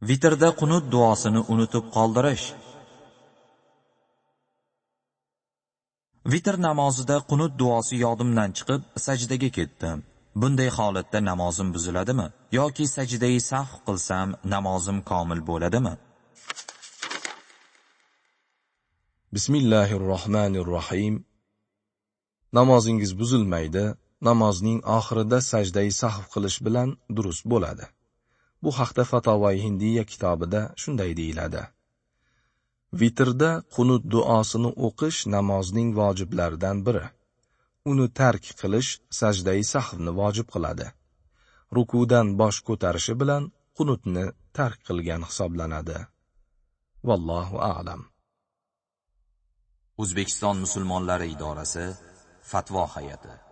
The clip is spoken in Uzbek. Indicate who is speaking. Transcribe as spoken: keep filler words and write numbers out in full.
Speaker 1: Vitrda qunut duosini unutib qoldirish. Vitr namozida qunut duosi yodimdan chiqib, sajdaga ketdim. Bunday holatda namozim buziladimi yoki sajdai sahv qilsam namozim komil bo'ladimi?
Speaker 2: Bismillahirrohmanirrohim. Namozingiz buzilmaydi, namozning oxirida sajdai sahv qilish bilan durust bo'ladi. Bu haqda Fatavoi Hindiya kitobida shunday deyiladi. Vitrda qunut duosini o'qish namozning vojiblaridan biri. Uni tark qilish sajdai sahvni vojib qiladi. Rukudan bosh ko'tarishi bilan qunutni tark qilgan hisoblanadi. Vallohu a'lam.
Speaker 1: O'zbekiston musulmonlari idorasi Fatvo hay'ati.